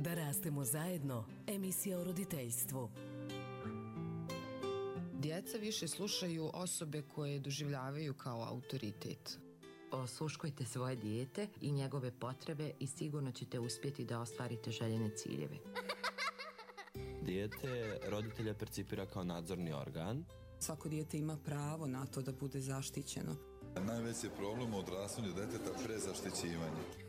Da rastemo zajedno, emisija o roditeljstvu. Djeca više slušaju osobe koje doživljavaju kao autoritet. Osluškujte svoje dijete i njegove potrebe i sigurno ćete uspjeti da ostvarite željene ciljeve. Dijete roditelja percipira kao nadzorni organ. Svako dijete ima pravo na to da bude zaštićeno. Najveći problem u odrastanju deteta prezaštićivanje.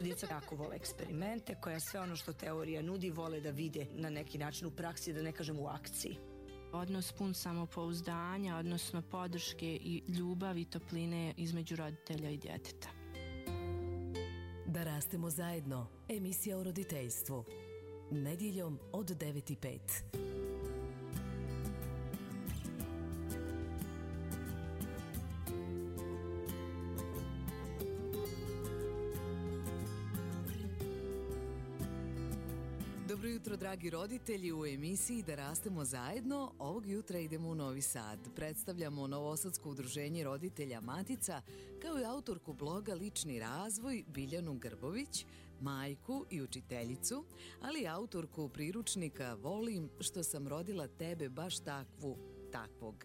Djeca jako vole eksperimente, koja sve ono što teorija nudi vole da vide na neki način u praksi, da ne kažem u akciji. Odnos pun samopouzdanja, odnosno podrške i ljubavi i topline između roditelja i djeteta. Da rastemo zajedno, emisija o roditeljstvu. Nedjeljom od 9:05. Dobro jutro, dragi roditelji, u emisiji Da rastemo zajedno. Ovog jutra idemo u Novi Sad. Predstavljamo Novosadsko udruženje roditelja Matica, kao i autorku bloga Lični razvoj Biljanu Grbović, majku i učiteljicu, ali i autorku priručnika Volim što sam rodila tebe baš takvog.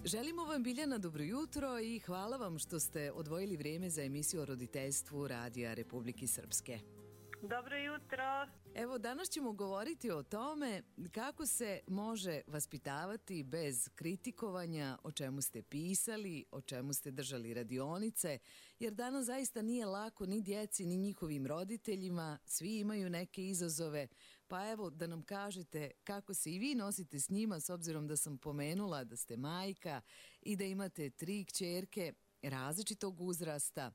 Želimo vam, Biljana, dobro jutro i hvala vam što ste odvojili vrijeme za emisiju o roditeljstvu Radija Republike Srpske. Dobro jutro. Evo, danas ćemo govoriti o tome kako se može vaspitavati bez kritikovanja, o čemu ste pisali, o čemu ste držali radionice, jer danas zaista nije lako ni djeci, ni njihovim roditeljima, svi imaju neke izazove, pa evo da nam kažete kako se i vi nosite s njima, s obzirom da sam pomenula da ste majka i da imate 3 kćerke različitog uzrasta.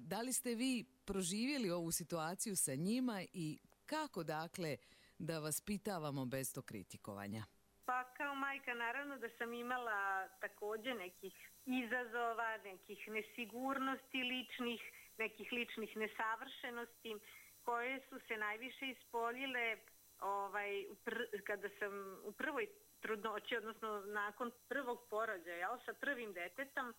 Da li ste vi proživjeli ovu situaciju sa njima i kako, dakle, da vas pitavamo bez tog kritikovanja? Pa kao majka naravno da sam imala također nekih izazova, nekih nesigurnosti ličnih, nekih ličnih nesavršenosti koje su se najviše ispoljile kada sam u prvoj trudnoći, odnosno nakon prvog porođaja sa prvim detetom,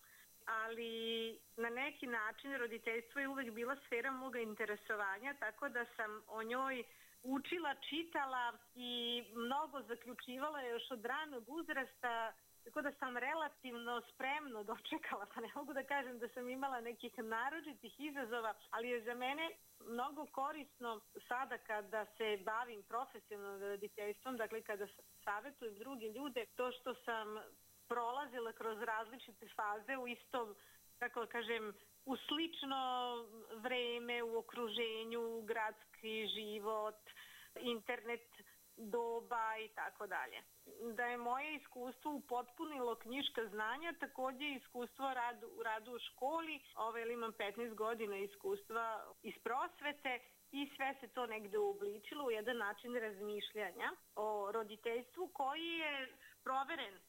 ali na neki način roditeljstvo je uvek bila sfera moga interesovanja, tako da sam o njoj učila, čitala i mnogo zaključivala još od ranog uzrasta, tako da sam relativno spremno dočekala, pa ne mogu da kažem da sam imala nekih naročitih izazova, ali je za mene mnogo korisno sada kada se bavim profesionalnim roditeljstvom, dakle kada savjetujem druge ljude, to što sam prolazila kroz različite faze u istom, kako kažem, u slično vreme, u okruženju, gradski život, internet doba i tako dalje. Da je moje iskustvo upotpunilo knjiška znanja, također iskustvo u radu u školi, imam 15 godina iskustva iz prosvete i sve se to negde uobličilo u jedan način razmišljanja o roditeljstvu koji je proveren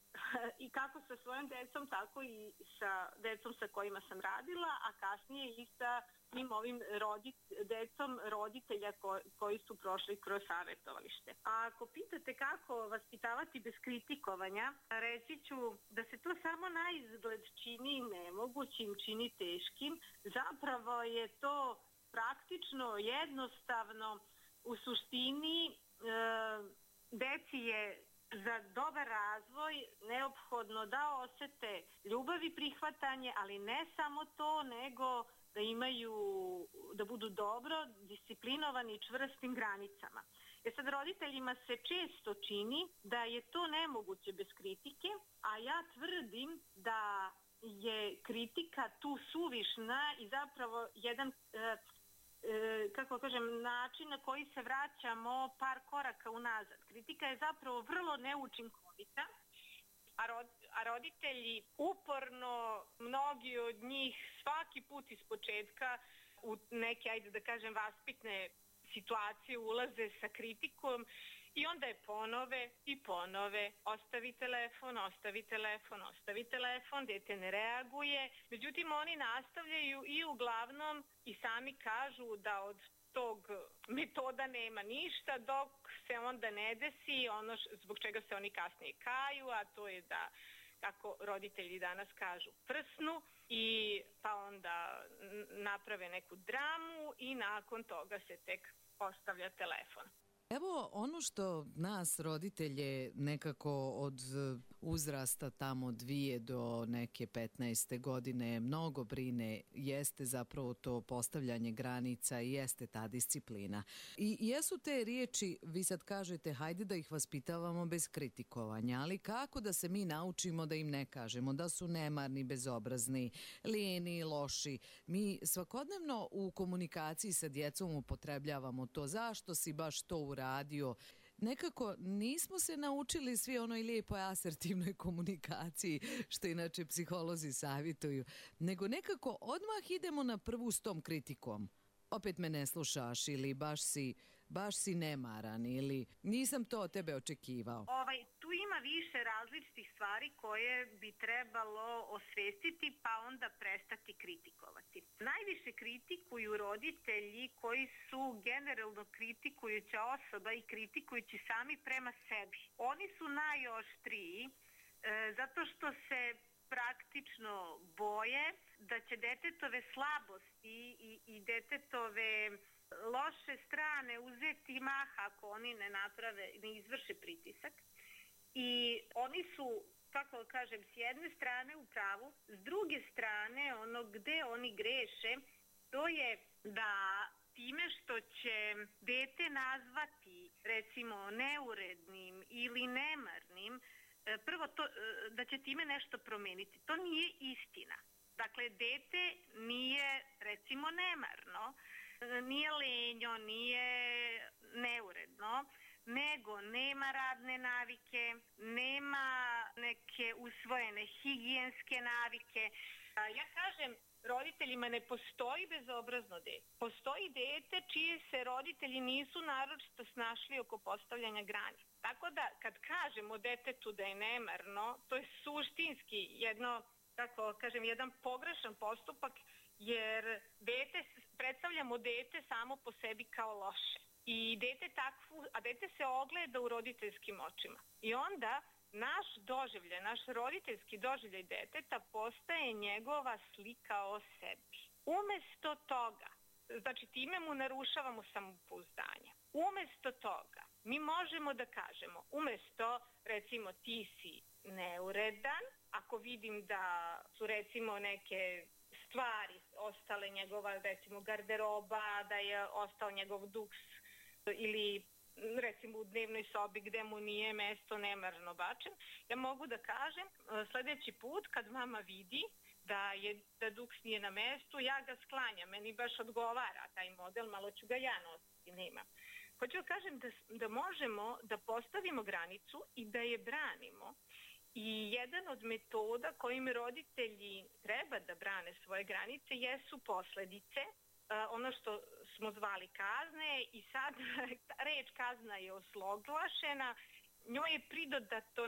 i kako sa svojom decom, tako i sa decom sa kojima sam radila, a kasnije i sa tim ovim decom roditelja koji su prošli kroz savjetovalište. A ako pitate kako vaspitavati bez kritikovanja, reći ću da se to samo na izgled čini nemogućim, čini teškim. Zapravo je to praktično, jednostavno, u suštini deci je za dobar razvoj neophodno da osete ljubav i prihvatanje, ali ne samo to, nego da budu dobro disciplinovani i čvrstim granicama. Sad roditeljima se često čini da je to nemoguće bez kritike, a ja tvrdim da je kritika tu suvišna i zapravo jedan način na koji se vraćamo par koraka unazad. Kritika je zapravo vrlo neučinkovita, a roditelji uporno, mnogi od njih svaki put iz početka u neke, vaspitne situacije ulaze sa kritikom i onda je ponove, ostavi telefon, dete ne reaguje. Međutim, oni nastavljaju i uglavnom i sami kažu da od tog metoda nema ništa, dok se onda ne desi ono zbog čega se oni kasnije kaju, a to je da kako roditelji danas kažu, prsnu i pa onda naprave neku dramu i nakon toga se tek postavlja telefon. Evo ono što nas roditelje nekako od uzrasta tamo 2 do neke 15. godine mnogo brine jeste zapravo to postavljanje granica i jeste ta disciplina. I jesu te riječi, vi sad kažete hajde da ih vaspitavamo bez kritikovanja, ali kako da se mi naučimo da im ne kažemo da su nemarni, bezobrazni, lijeni, loši. Mi svakodnevno u komunikaciji sa djecom upotrebljavamo to, zašto si baš to uradio. Nekako nismo se naučili svi onoj lijepoj asertivnoj komunikaciji, što inače psiholozi savjetuju, nego nekako odmah idemo na prvu s tom kritikom. Opet me ne slušaš ili baš si nemaran ili nisam to od tebe očekivao. Tu ima više različitih stvari koje bi trebalo osvestiti pa onda prestati kritikovati. Najviše kritikuju roditelji koji su generalno kritikujuća osoba i kritikujući sami prema sebi. Oni su najoštriji zato što se praktično boje da će detetove slabosti i detetove loše strane uzeti maha ako oni ne izvrše pritisak. I oni su, kako kažem, s jedne strane u pravu, s druge strane ono gde oni greše, to je da time što će dete nazvati recimo neurednim ili nemarnim, prvo to, da će time nešto promeniti. To nije istina. Dakle, dete nije recimo nemarno, nije lenjo, nije neuredno, nego nema radne navike, nema neke usvojene higijenske navike. Ja kažem roditeljima, ne postoji bezobrazno dete. Postoji dete čije se roditelji nisu naročito snašli oko postavljanja granica. Tako da kad kažemo detetu da je nemarno, to je suštinski jedan pogrešan postupak, jer predstavljamo dete samo po sebi kao loše. A dete se ogleda u roditeljskim očima. I onda naš roditeljski doživljaj deteta postaje njegova slika o sebi. Umesto toga, znači time mu narušavamo samopouzdanje. Umesto toga, mi možemo da kažemo, umesto recimo ti si neuredan, ako vidim da su recimo neke stvari ostale njegova, recimo garderoba, da je ostao njegov duks ili recimo u dnevnoj sobi gde mu nije mesto nemarno bačen, ja mogu da kažem sledeći put kad mama vidi da duks nije na mestu, ja ga sklanjam, meni baš odgovara taj model, malo ću ga ja nositi, nema. Hoću da kažem da možemo da postavimo granicu i da je branimo. I jedan od metoda kojim roditelji treba da brane svoje granice jesu posledice, ono što smo zvali kazne, i sad reč kazna je osloglašena, njoj je pridodato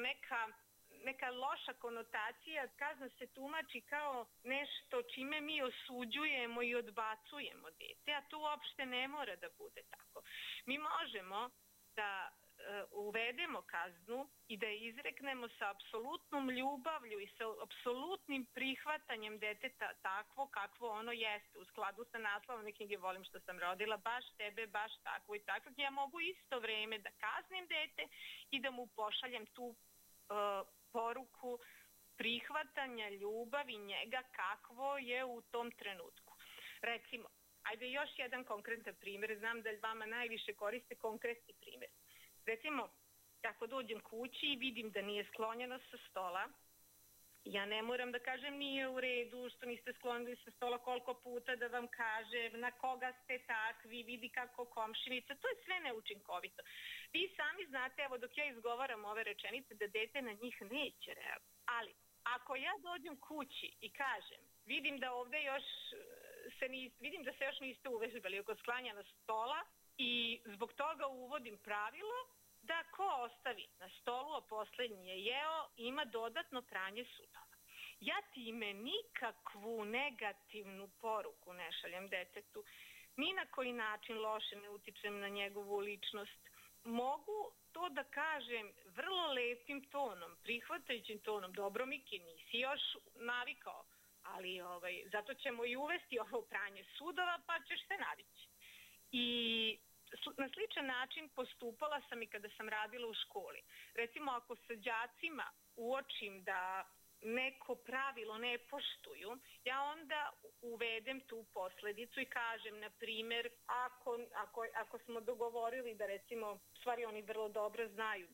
neka loša konotacija, kazna se tumači kao nešto čime mi osuđujemo i odbacujemo dete, a to uopšte ne mora da bude tako. Mi možemo da uvedemo kaznu i da je izreknemo sa apsolutnom ljubavlju i sa apsolutnim prihvatanjem deteta takvo kakvo ono jeste, u skladu sa naslovom knjige Volim što sam rodila, baš tebe, baš takvo i takvo. Ja mogu isto vreme da kaznim dete i da mu pošaljem tu poruku prihvatanja ljubavi njega kakvo je u tom trenutku. Recimo, ajde još jedan konkretan primjer, znam da vama najviše koriste konkretni primjer. Recimo, ako dođem kući i vidim da nije sklonjeno sa stola, ja ne moram da kažem nije u redu što niste sklonili sa stola, koliko puta da vam kažem, na koga ste takvi, vidi kako komšinica, to je sve neučinkovito. Vi sami znate, evo dok ja izgovaram ove rečenice, da dete na njih neće reagovati. Ali, ako ja dođem kući i kažem, vidim da se još niste uvežbali oko sklanjanja stola, i zbog toga uvodim pravilo da ko ostavi na stolu, a poslednji je jeo, ima dodatno pranje sudova. Ja time nikakvu negativnu poruku ne šaljem detetu, ni na koji način loše ne utičem na njegovu ličnost. Mogu to da kažem vrlo lepim tonom, prihvatajućim tonom, dobro Miki, nisi još navikao, ali zato ćemo i uvesti ovo pranje sudova, pa ćeš se navići. I na sličan način postupala sam i kada sam radila u školi. Recimo, ako sa đacima uočim da neko pravilo ne poštuju, ja onda uvedem tu posledicu i kažem, na primjer, ako smo dogovorili da recimo, stvari oni vrlo dobro znaju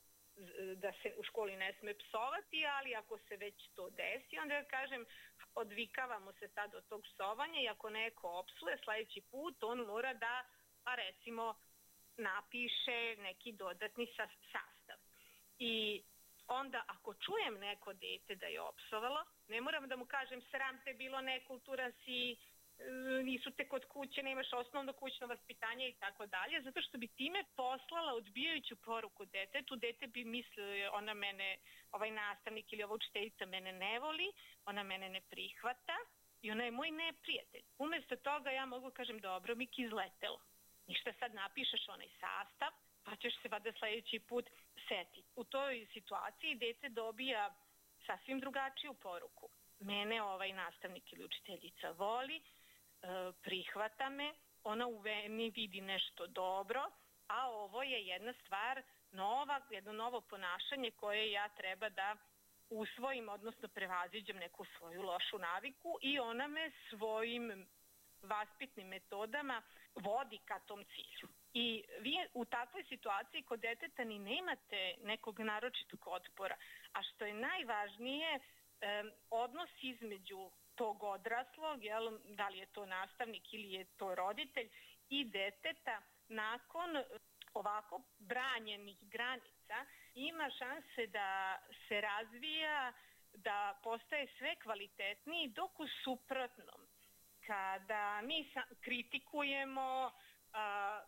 da se u školi ne sme psovati, ali ako se već to desi, onda ja kažem, odvikavamo se sad od tog psovanja i ako neko opsuje sledeći put, on mora da, pa recimo, napiše neki dodatni sastav. I onda ako čujem neko dete da je opsovalo, ne moram da mu kažem sram te bilo, nekulturan si, nisu te kod kuće, nemaš osnovno kućno vaspitanje i tako dalje, zato što bi time poslala odbijajuću poruku detetu. Dete bi mislio, ona mene, ovaj nastavnik ili ova učiteljica mene ne voli, ona mene ne prihvata i ona je moj neprijatelj. Umesto toga ja mogu kažem, dobro Miki, izletelo. Ništa, sad napišeš onaj sastav, pa ćeš se vada sledeći put setiti. U toj situaciji dete dobija sasvim drugačiju poruku. Mene ovaj nastavnik ili učiteljica voli, prihvata me, ona u meni vidi nešto dobro, a ovo je jedna stvar nova, jedno novo ponašanje koje ja treba da usvojim, odnosno prevaziđem neku svoju lošu naviku i ona me svojim vaspitnim metodama vodi ka tom cilju. I vi u takvoj situaciji kod deteta ni nemate nekog naročitog otpora, a što je najvažnije, odnos između tog odraslog, da li je to nastavnik ili je to roditelj, i deteta nakon ovako branjenih granica ima šanse da se razvija, da postaje sve kvalitetniji, dok u suprotnom, kada mi kritikujemo,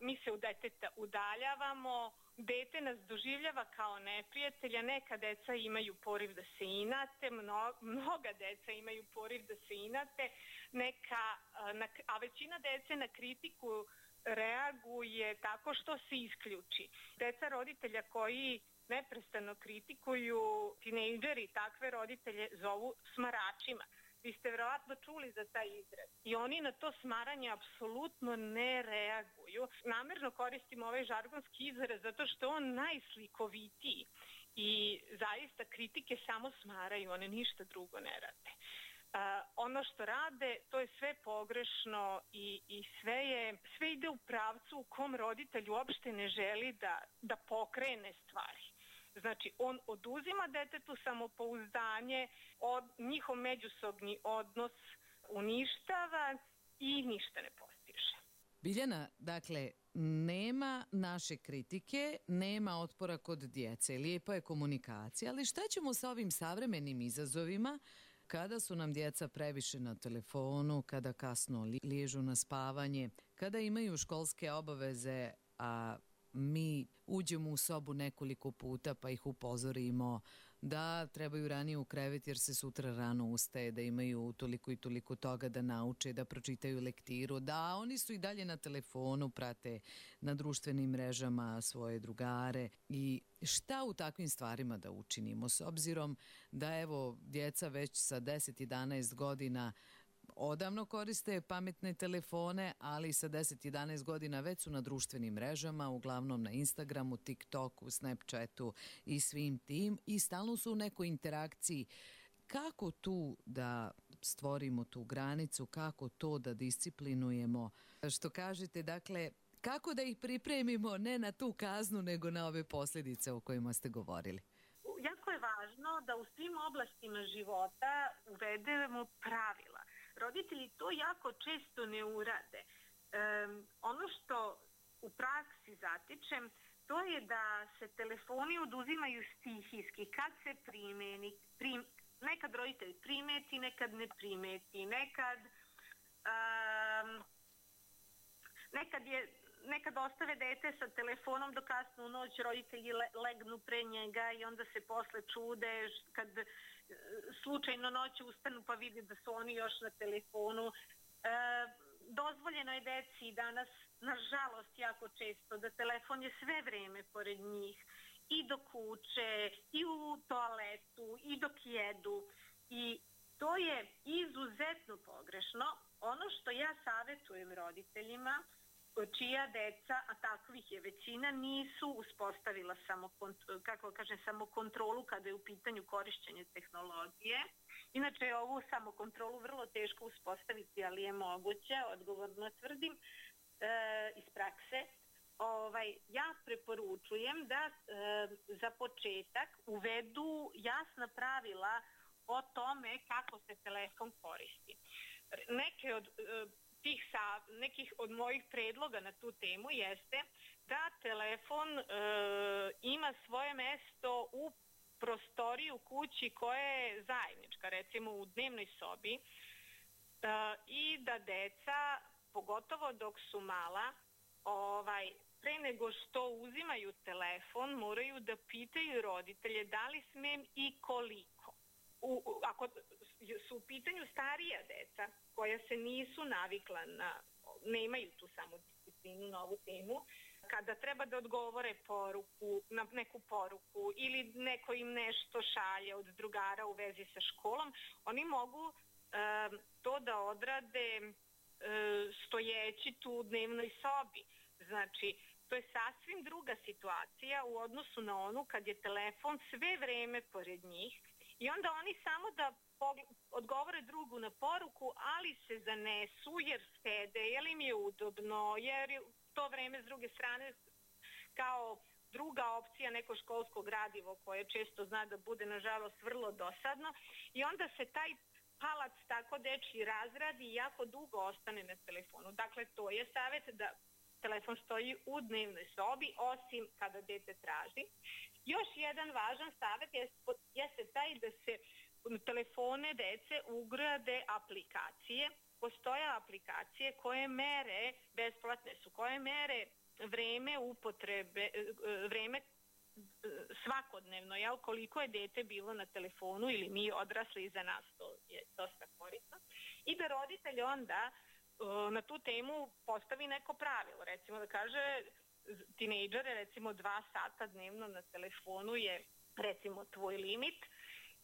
mi se od deteta udaljavamo, dete nas doživljava kao neprijatelja, neka deca imaju poriv da se inate, mnoga deca imaju poriv da se inate, a većina dece na kritiku reaguje tako što se isključi. Deca roditelja koji neprestano kritikuju, tinejdžeri takve roditelje zovu smaračima. Vi ste verovatno čuli za taj izraz. I oni na to smaranje apsolutno ne reaguju. Namerno koristim ovaj žargonski izraz zato što je on najslikovitiji. I zaista kritike samo smaraju, one ništa drugo ne rade. Ono što rade, to je sve pogrešno i sve ide u pravcu u kom roditelj uopšte ne želi da pokrene stvari. Znači, on oduzima detetu samopouzdanje, njihov međusobni odnos uništava i ništa ne postiže. Biljana, dakle, nema naše kritike, nema otpora kod djece, lijepa je komunikacija, ali šta ćemo sa ovim savremenim izazovima kada su nam djeca previše na telefonu, kada kasno liježu na spavanje, kada imaju školske obaveze, a mi uđemo u sobu nekoliko puta pa ih upozorimo da trebaju ranije u krevet jer se sutra rano ustaje, da imaju toliko i toliko toga da nauče, da pročitaju lektiru, da oni su i dalje na telefonu, prate na društvenim mrežama svoje drugare. I šta u takvim stvarima da učinimo s obzirom da evo djeca već sa 10-11 godina odavno koriste pametne telefone, ali sa 10-11 godina već su na društvenim mrežama, uglavnom na Instagramu, TikToku, Snapchatu i svim tim i stalno su u nekoj interakciji. Kako tu da stvorimo tu granicu, kako to da disciplinujemo? Što kažete, dakle, kako da ih pripremimo ne na tu kaznu, nego na ove posljedice o kojima ste govorili? Jako je važno da u svim oblastima života uvedemo pravila. Roditelji to jako često ne urade. Ono što u praksi zatičem, to je da se telefoni oduzimaju stihijski. Kad se primeni, nekad roditelj primeti, nekad ne primeti, nekad ostave dete sa telefonom do kasno u noć, roditelji legnu pre njega i onda se posle čude kad slučajno noću ustanu pa vide da su oni još na telefonu. Dozvoljeno je deci danas, nažalost, jako često da telefon je sve vreme pored njih i dok uče, i u toaletu, i dok jedu. I to je izuzetno pogrešno. Ono što ja savjetujem roditeljima, čija deca, a takvih je većina, nisu uspostavila samokontrolu kada je u pitanju korišćenje tehnologije. Inače je ovu samokontrolu vrlo teško uspostaviti, ali je moguće, odgovorno tvrdim, iz prakse. Ja preporučujem da za početak uvedu jasna pravila o tome kako se telefon koristi. Nekih od mojih predloga na tu temu jeste da telefon ima svoje mesto u prostoriji u kući koja je zajednička, recimo u dnevnoj sobi, i da deca, pogotovo dok su mala, pre nego što uzimaju telefon, moraju da pitaju roditelje da li smem i koliko. Ako su u pitanju starija deca koja se nisu navikla nemaju tu samodisciplinu na ovu temu, kada treba da odgovore na neku poruku ili neko im nešto šalje od drugara u vezi sa školom, oni mogu to da odrade stojeći tu u dnevnoj sobi. Znači, to je sasvim druga situacija u odnosu na onu kad je telefon sve vreme pored njih i onda oni samo da odgovore drugu na poruku, ali se zanesu jer sede, jer im je udobno, jer je to vreme s druge strane kao druga opcija neko školsko gradivo koje često zna da bude nažalost vrlo dosadno i onda se taj palac tako dečji razradi i jako dugo ostane na telefonu. Dakle, to je savjet da telefon stoji u dnevnoj sobi, osim kada dete traži. Još jedan važan savjet jeste taj da se u telefone dece ugrade aplikacije. Postoje aplikacije koje mere, besplatne su, koje mere vreme upotrebe, vreme svakodnevno, koliko je dete bilo na telefonu ili mi odrasli iza nas, to je dosta korisno. I da roditelj onda na tu temu postavi neko pravilo, recimo da kaže tinejdžere, recimo 2 sata dnevno na telefonu je recimo tvoj limit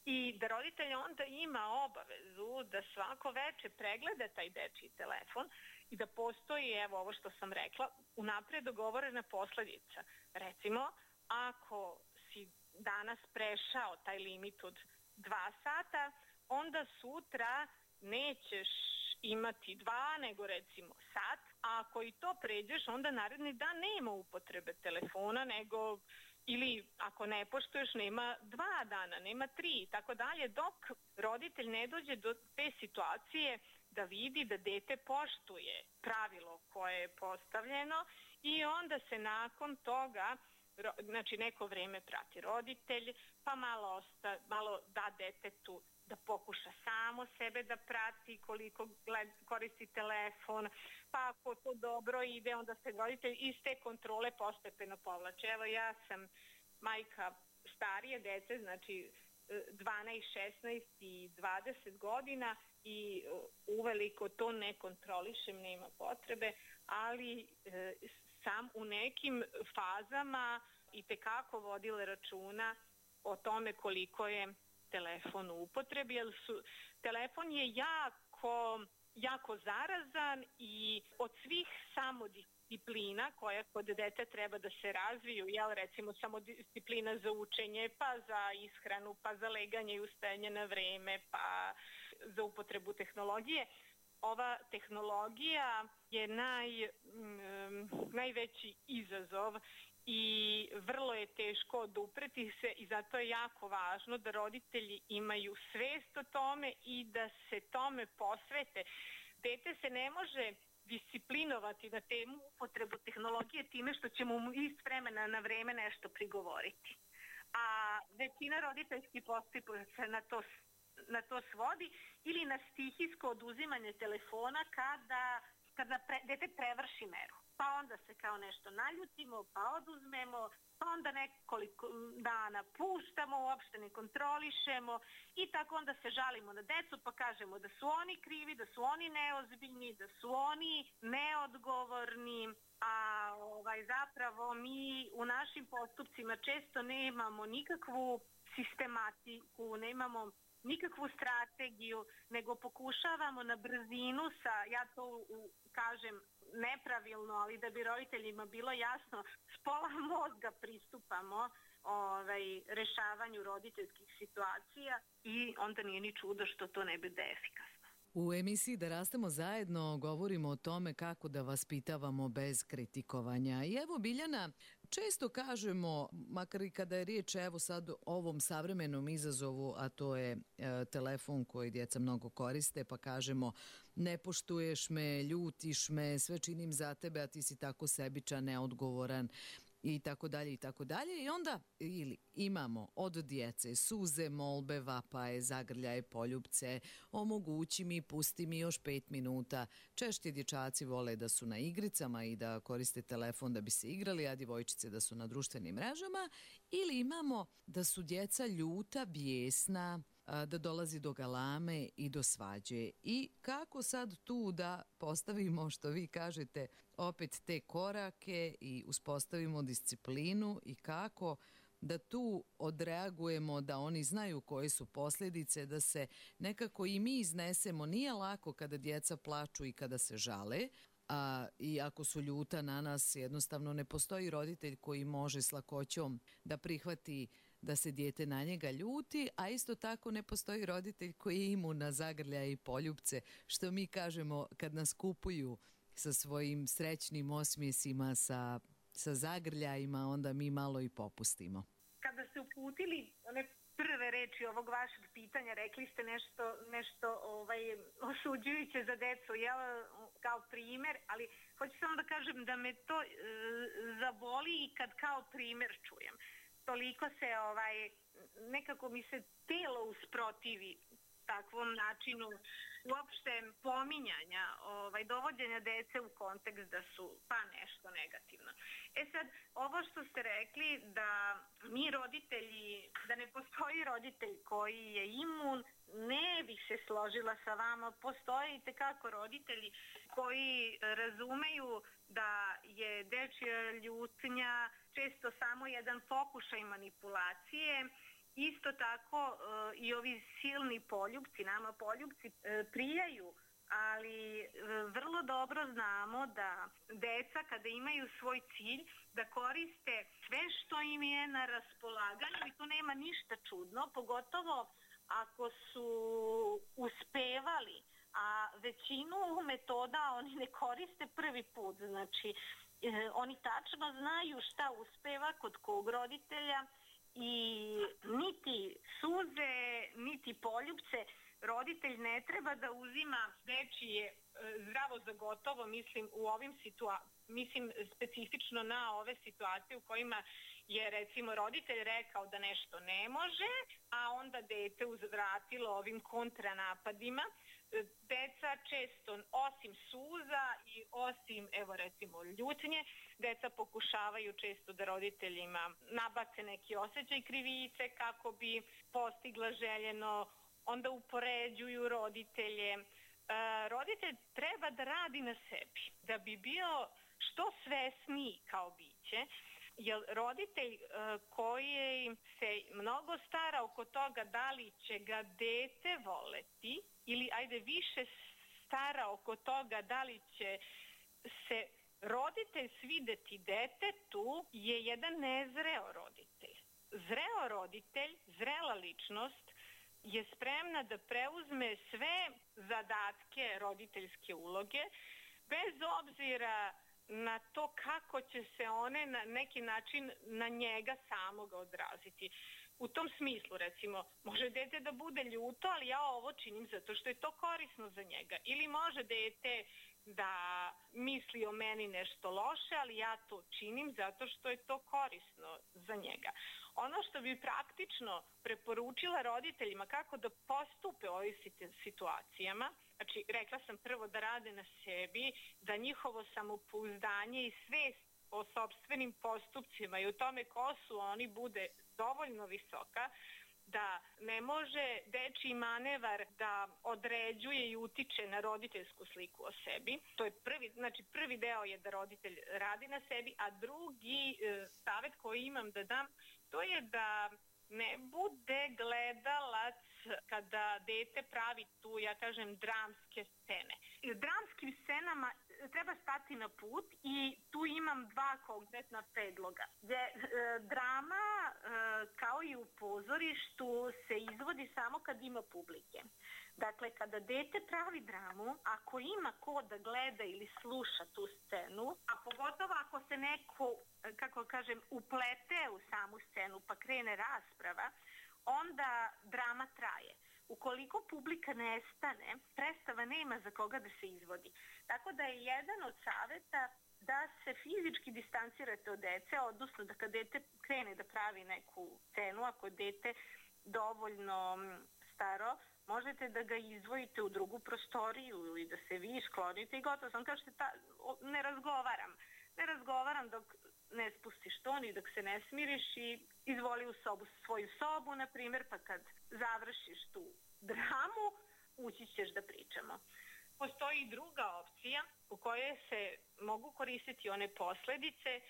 i da roditelj onda ima obavezu da svako veče pregleda taj dečiji telefon i da postoji, evo ovo što sam rekla, unapred dogovorena posledica. Recimo, ako si danas prešao taj limit od 2 sata, onda sutra nećeš imati 2, nego recimo sat, a ako i to pređeš, onda naredni dan nema upotrebe telefona, nego ili ako ne poštuješ, nema 2 dana, nema 3 i tako dalje, dok roditelj ne dođe do te situacije da vidi da dete poštuje pravilo koje je postavljeno i onda se nakon toga, znači neko vreme prati roditelj, pa malo da detetu da pokuša samo sebe da prati koliko koristi telefon, pa ako to dobro ide, onda se roditelj iz te kontrole postepeno povlače. Evo, ja sam majka starije dece, znači 12, 16 i 20 godina i uveliko to ne kontrolišem, nema potrebe, ali sam u nekim fazama i tekako vodila računa o tome koliko je telefon u upotrebi, jer telefon je jako zarazan i od svih samodisciplina koja kod dete treba da se razviju, recimo samodisciplina za učenje, pa za ishranu, pa za leganje i ustajanje na vreme, pa za upotrebu tehnologije. Ova tehnologija je najveći izazov i vrlo je teško odupreti se i zato je jako važno da roditelji imaju svest o tome i da se tome posvete. Dete se ne može disciplinovati na temu upotrebu tehnologije time što ćemo mu iz vremena na vreme nešto prigovoriti. A većina roditeljskih postupaka se na to svodi ili na stihijsko oduzimanje telefona kada dete prevrši meru. Pa onda se kao nešto naljutimo, pa oduzmemo, pa onda nekoliko dana puštamo, uopšte ne kontrolišemo i tako onda se žalimo na decu pa kažemo da su oni krivi, da su oni neozbiljni, da su oni neodgovorni, a zapravo mi u našim postupcima često nemamo nikakvu sistematiku, nemamo nikakvu strategiju, nego pokušavamo na brzinu ja to kažem nepravilno, ali da bi roditeljima bilo jasno, s pola mozga pristupamo rešavanju roditeljskih situacija i onda nije ni čudo što to ne bude efikasno. U emisiji Da rastemo zajedno govorimo o tome kako da vaspitavamo bez kritikovanja. I evo, Biljana, često kažemo, makar i kada je riječ evo sad o ovom savremenom izazovu, a to je telefon koji djeca mnogo koriste, pa kažemo ne poštuješ me, ljutiš me, sve činim za tebe, a ti si tako sebičan, neodgovoran i tako dalje i tako dalje. I onda imamo od djece suze, molbe, vapaje, zagrljaje, poljupce, omogući mi, pusti mi još 5 minuta. Češće dječaci vole da su na igricama i da koriste telefon da bi se igrali, a djevojčice da su na društvenim mrežama. Ili imamo da su djeca ljuta, bijesna, da dolazi do galame i do svađe. I kako sad tu da postavimo, što vi kažete, opet te korake i uspostavimo disciplinu i kako da tu odreagujemo, da oni znaju koje su posljedice, da se nekako i mi iznesemo. Nije lako kada djeca plaču i kada se žale, i ako su ljuta na nas, jednostavno ne postoji roditelj koji može s lakoćom da prihvati da se dijete na njega ljuti, a isto tako ne postoji roditelj koji je imun na zagrljaje i poljupce, što mi kažemo kad nas kupuju sa svojim srećnim osmijesima, sa zagrljajima, onda mi malo i popustimo. Kada ste uputili one prve reči ovog vašeg pitanja, rekli ste nešto osuđujuće za decu, kao primjer, ali hoću samo da kažem da me to zaboli i kad kao primjer čujem. Toliko se nekako mi se telo usprotivi takvom načinu uopšte pominjanja, dovođenja dece u kontekst da su pa nešto negativno. Sad, ovo što ste rekli da mi roditelji, da ne postoji roditelj koji je imun, ne bih se složila sa vama. Postoje i tekako roditelji koji razumeju da je dečja ljutnja često samo jedan pokušaj manipulacije. Isto tako i ovi silni poljupci, nama poljupci prijaju, ali vrlo dobro znamo da deca kada imaju svoj cilj da koriste sve što im je na raspolaganju i tu nema ništa čudno, pogotovo ako su uspevali, a većinu metoda oni ne koriste prvi put, znači oni tačno znaju šta uspeva kod kog roditelja i niti suze, niti poljupce roditelj ne treba da uzima dečije zdravo za gotovo, mislim u ovim mislim specifično na ove situacije u kojima je recimo roditelj rekao da nešto ne može, a onda dete uzvratilo ovim kontranapadima. Deca često, osim suza i osim, evo recimo, ljutnje, deca pokušavaju često da roditeljima nabace neki osjećaj krivice kako bi postigla željeno, onda upoređuju roditelje. Roditelj treba da radi na sebi, da bi bio što svesniji kao biće, jer roditelj koji se mnogo stara oko toga da li će ga dete voleti ili ajde više stara oko toga da li će se roditelj svideti detetu je jedan nezreo roditelj. Zreo roditelj, zrela ličnost je spremna da preuzme sve zadatke roditeljske uloge bez obzira na to kako će se one na neki način na njega samoga odraziti. U tom smislu, recimo, može dete da bude ljuto, ali ja ovo činim zato što je to korisno za njega. Ili može dete da misli o meni nešto loše, ali ja to činim zato što je to korisno za njega. Ono što bi praktično preporučila roditeljima kako da postupe u ovim situacijama, znači rekla sam prvo da rade na sebi, da njihovo samopouzdanje i svest o sopstvenim postupcima i o tome ko su oni bude dovoljno visoka, da ne može dečiji manevar da određuje i utiče na roditeljsku sliku o sebi. To je prvi deo je da roditelj radi na sebi, a drugi savjet koji imam da dam, to je da ne bude gledalac kada dete pravi tu, ja kažem, dramske scene. Dramskim scenama treba stati na put i tu imam dva konkretna predloga. Drama, kao i u pozorištu, se izvodi samo kad ima publike. Dakle, kada dete pravi dramu, ako ima ko da gleda ili sluša tu scenu, a pogotovo ako se neko, kako kažem, uplete u samu scenu pa krene rasprava, onda drama traje. Ukoliko publika nestane, predstava nema za koga da se izvodi. Tako da je jedan od savjeta da se fizički distancirate od dece, odnosno da kad dete krene da pravi neku scenu, ako je dete dovoljno staro, možete da ga izdvojite u drugu prostoriju ili da se vi sklonite i gotovo sam. Kažete, ne razgovaram dok ne spustiš ton i dok se ne smiriš i izvoli u svoju sobu, na primjer, pa kad završiš tu dramu, ući ćeš da pričamo. Postoji i druga opcija u kojoj se mogu koristiti one posledice,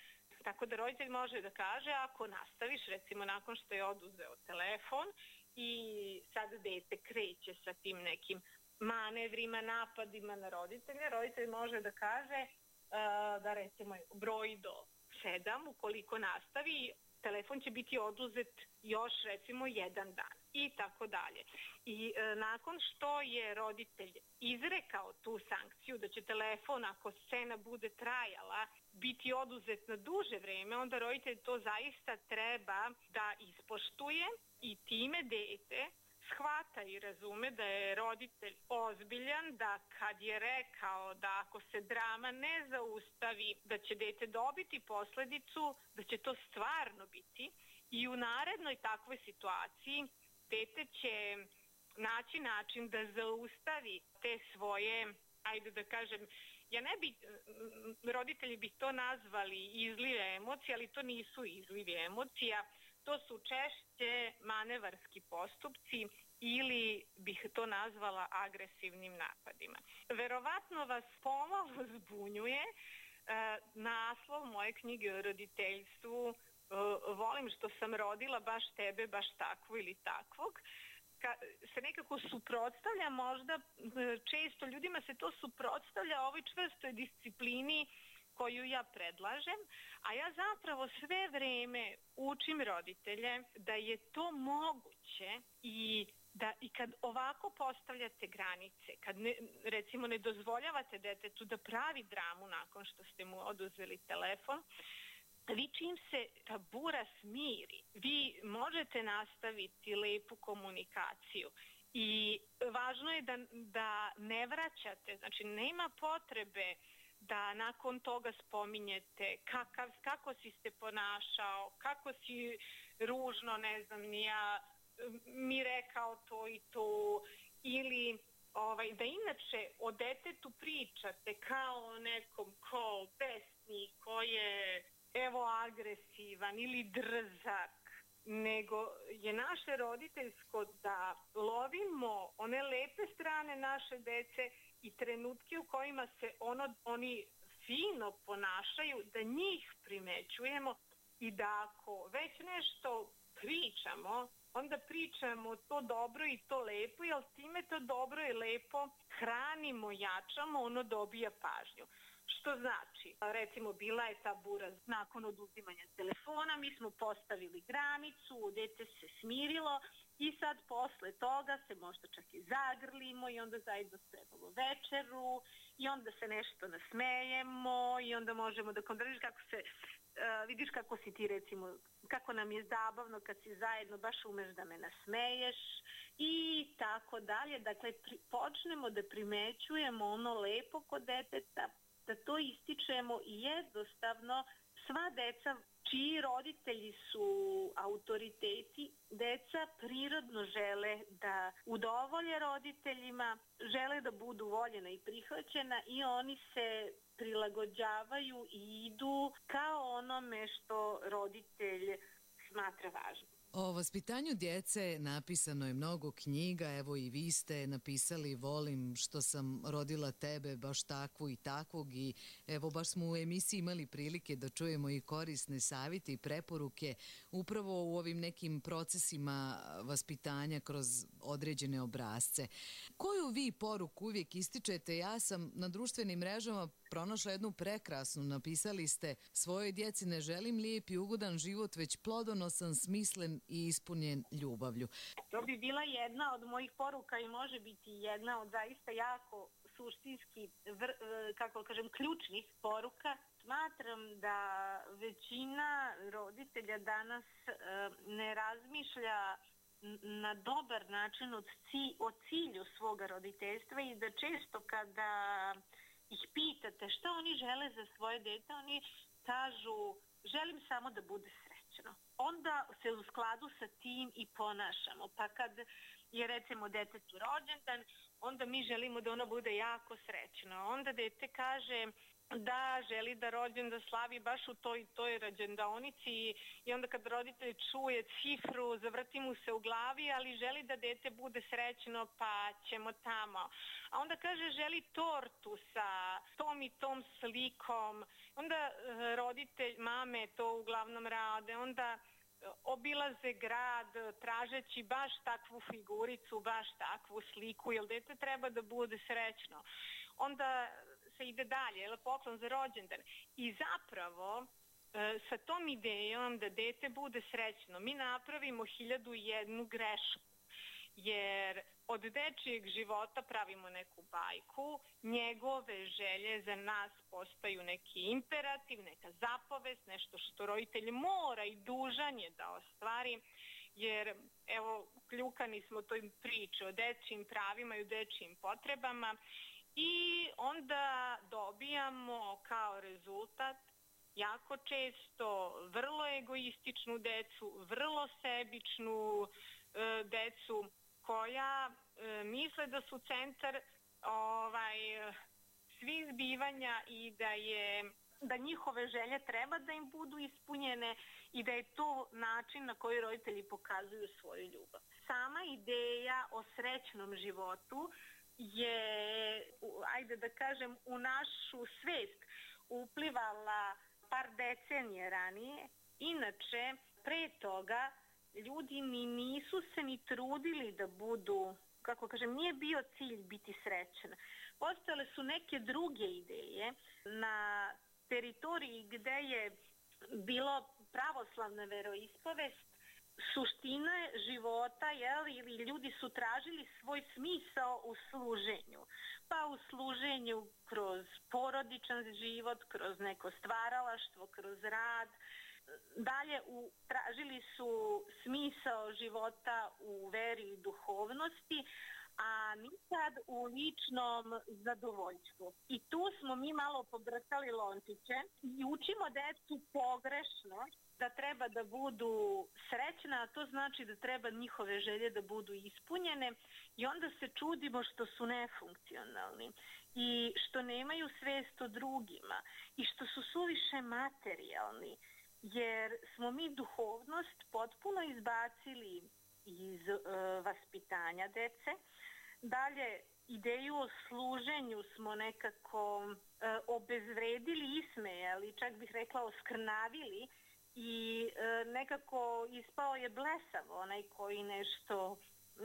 tako da roditelj može da kaže, ako nastaviš, recimo nakon što je oduzeo telefon i sad dete kreće sa tim nekim manevrima, napadima na roditelja, roditelj može da kaže da recimo broji do 7, ukoliko nastavi, telefon će biti oduzet još recimo 1 dan i tako dalje. I nakon što je roditelj izrekao tu sankciju da će telefon, ako scena bude trajala, biti oduzet na duže vreme, onda roditelj to zaista treba da ispoštuje i time dete shvata i razume da je roditelj ozbiljan, da kad je rekao da ako se drama ne zaustavi, da će dete dobiti posledicu, da će to stvarno biti i u narednoj takvoj situaciji dete će naći način da zaustavi te svoje, ajde da kažem, roditelji bi to nazvali izlive emocije, ali to nisu izlivi emocija, to su češće manevarski postupci ili bih to nazvala agresivnim napadima. Verovatno vas pomalo zbunjuje naslov moje knjige o roditeljstvu, volim što sam rodila baš tebe, baš takvu ili takvog, se nekako suprotstavlja, možda često ljudima se to suprotstavlja ovoj čvrstoj disciplini koju ja predlažem, a ja zapravo sve vreme učim roditelje da je to moguće i kad ovako postavljate granice, kad recimo ne dozvoljavate detetu da pravi dramu nakon što ste mu oduzeli telefon, vi čim se ta bura smiri, vi možete nastaviti lepu komunikaciju i važno je da ne vraćate, znači nema potrebe da nakon toga spominjete kako si se ponašao, kako si ružno, ne znam, mi rekao to i to, ili da inače o detetu pričate kao o nekom ko besni, ko je agresivan ili drzak, nego je naše roditeljsko da lovimo one lepe strane naše dece i trenutke u kojima se oni fino ponašaju, da njih primećujemo i da ako već nešto pričamo, onda pričamo to dobro i to lepo, jer time to dobro i lepo hranimo, jačamo, ono dobija pažnju. Što znači, recimo bila je ta bura nakon oduzimanja telefona, mi smo postavili granicu, dete se smirilo i sad posle toga se možda čak i zagrlimo i onda zajedno spremamo večeru i onda se nešto nasmejemo i onda možemo da vidiš kako si ti recimo, kako nam je zabavno kad si zajedno, baš umeš da me nasmeješ i tako dalje. Dakle, počnemo da primećujemo ono lepo kod deteta, da to ističemo i jednostavno sva deca čiji roditelji su autoriteti, deca prirodno žele da udovolje roditeljima, žele da budu voljena i prihvaćena i oni se prilagođavaju i idu kao onome što roditelj smatra važnim. O vaspitanju djece napisano je mnogo knjiga, evo i vi ste napisali Volim što sam rodila tebe, baš takvu i takvog, i evo baš smo u emisiji imali prilike da čujemo i korisne savjete i preporuke upravo u ovim nekim procesima vaspitanja kroz određene obrasce. Koju vi poruku uvijek ističete? Ja sam na društvenim mrežama pronašla jednu prekrasnu, napisali ste: svojoj djeci ne želim lijep i ugodan život, već plodonosan, smislen i ispunjen ljubavlju. To bi bila jedna od mojih poruka i može biti jedna od zaista jako suštinski, ključnih poruka. Smatram da većina roditelja danas ne razmišlja na dobar način o cilju svoga roditeljstva i da često kada ih pitate šta oni žele za svoje dete, oni kažu želim samo da bude srećno. Onda se u skladu sa tim i ponašamo. Pa kad je recimo detetu rođendan, onda mi želimo da ono bude jako srećno. Onda dete kaže da želi da rođendan slavi baš u toj rođendaonici i onda kad roditelj čuje cifru, zavrti mu se u glavi, ali želi da dete bude srećno, pa ćemo tamo. A onda kaže želi tortu sa tom i tom slikom. Onda roditelj, mame to uglavnom rade, onda obilaze grad tražeći baš takvu figuricu, baš takvu sliku, jer dete treba da bude srećno. Onda se ide dalje, poklon za rođendan. I zapravo sa tom idejom da dete bude srećno mi napravimo 1001 grešku, jer od dečijeg života pravimo neku bajku, njegove želje za nas postaju neki imperativ, neka zapovest, nešto što roditelj mora i dužan je da ostvari, jer evo kljukani smo toj priči o dečijim pravima i o dečijim potrebama i onda dobijamo kao rezultat jako često vrlo egoističnu decu, vrlo sebičnu decu koja misle da su centar svih zbivanja i da njihove želje treba da im budu ispunjene i da je to način na koji roditelji pokazuju svoju ljubav. Sama ideja o srećnom životu je, ajde da kažem, u našu svest uplivala par decenije ranije. Inače, pre toga ljudi nisu se ni trudili da budu, nije bio cilj biti srećan. Postojale su neke druge ideje. Na teritoriji gde je bilo pravoslavna veroispovest, suština života, ili ljudi su tražili svoj smisao u služenju. Pa u služenju kroz porodičan život, kroz neko stvaralaštvo, kroz rad. Dalje tražili su smisao života u veri i duhovnosti, a nikad u ličnom zadovoljstvu. I tu smo mi malo pobrkali lončiće i učimo decu pogrešno da treba da budu srećna, a to znači da treba njihove želje da budu ispunjene i onda se čudimo što su nefunkcionalni i što nemaju svest o drugima i što su suviše materijalni, jer smo mi duhovnost potpuno izbacili iz vaspitanja dece. Dalje, ideju o služenju smo nekako obezvredili, ismejali, čak bih rekla oskrnavili i nekako ispao je blesav onaj koji nešto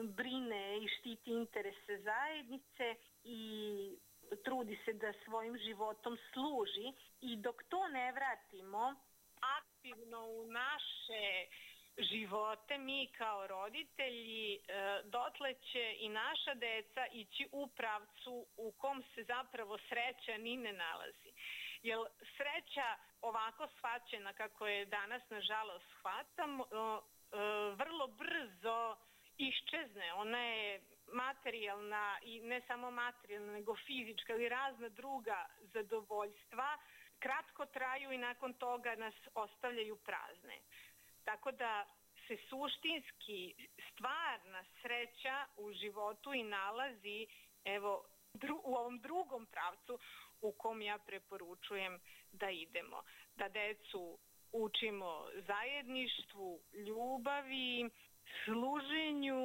brine i štiti interese zajednice i trudi se da svojim životom služi, i dok to ne vratimo aktivno u naše živote, mi kao roditelji, dotle će i naša deca ići u pravcu u kom se zapravo sreća ni ne nalazi. Jer sreća ovako shvaćena kako je danas nažalost shvatamo, vrlo brzo iščezne. Ona je materijalna i ne samo materijalna, nego fizička ili razna druga zadovoljstva kratko traju i nakon toga nas ostavljaju prazne. Tako da se suštinski stvarna sreća u životu i nalazi u ovom drugom pravcu u kom ja preporučujem da idemo. Da decu učimo zajedništvu, ljubavi, služenju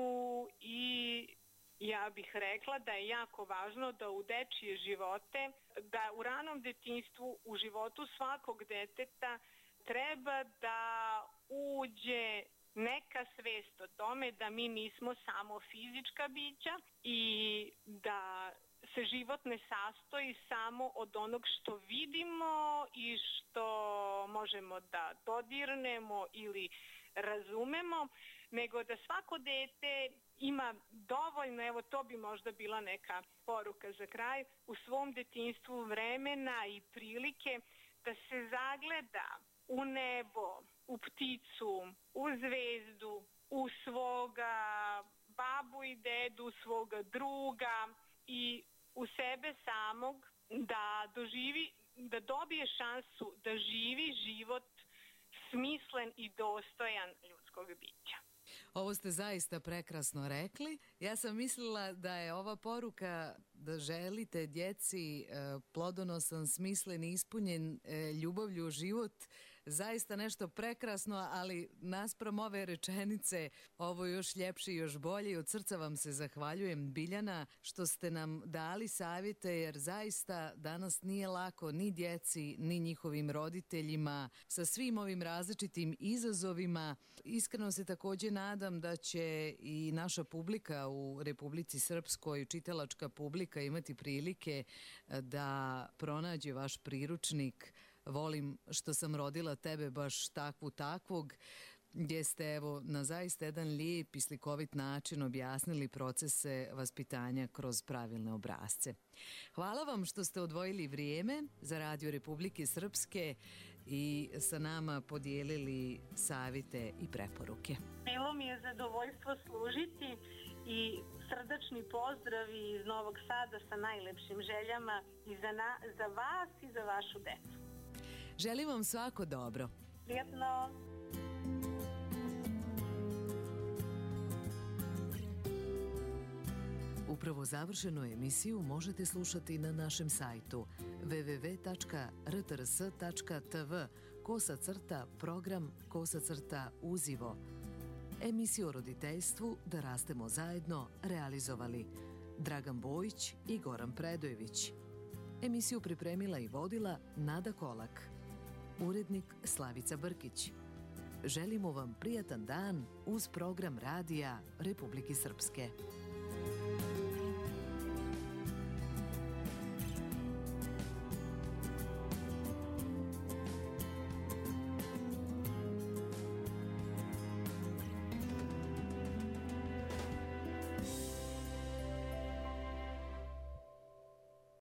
i ja bih rekla da je jako važno da u dečije živote, da u ranom detinjstvu, u životu svakog deteta treba da uđe neka svest o tome da mi nismo samo fizička bića i da se život ne sastoji samo od onog što vidimo i što možemo da dodirnemo ili razumemo, nego da svako dete ima dovoljno, evo to bi možda bila neka poruka za kraj, u svom detinjstvu vremena i prilike da se zagleda u nebo, u pticu, u zvezdu, u svoga babu i dedu, svoga druga i u sebe samog da dobije šansu da živi život smislen i dostojan ljudskog bića. Ovo ste zaista prekrasno rekli. Ja sam mislila da je ova poruka da želite djeci plodonosan, smislen i ispunjen ljubavlju u život zaista nešto prekrasno, ali naspram ove rečenice ovo je još ljepše i još bolje i od srca vam se zahvaljujem, Biljana, što ste nam dali savjete, jer zaista danas nije lako ni djeci, ni njihovim roditeljima sa svim ovim različitim izazovima. Iskreno se također nadam da će i naša publika u Republici Srpskoj, čitalačka publika, imati prilike da pronađe vaš priručnik Volim što sam rodila tebe baš takvog, gdje ste evo na zaista jedan lijep i slikovit način objasnili procese vaspitanja kroz pravilne obrasce. Hvala vam što ste odvojili vrijeme za Radio Republike Srpske i sa nama podijelili savjete i preporuke. Bilo mi je zadovoljstvo služiti i srdačni pozdravi iz Novog Sada sa najlepšim željama i za vas i za vašu decu. Želim vam svako dobro. Prijatno. Upravo završenu emisiju možete slušati na našem sajtu www.rtrs.tv/program/uzivo. Emisiju o roditeljstvu Da rastemo zajedno realizovali Dragan Bojić i Goran Predojević. Emisiju pripremila i vodila Nada Kolak. Urednik Slavica Brkić. Želimo vam prijatan dan uz program Radija Republike Srpske.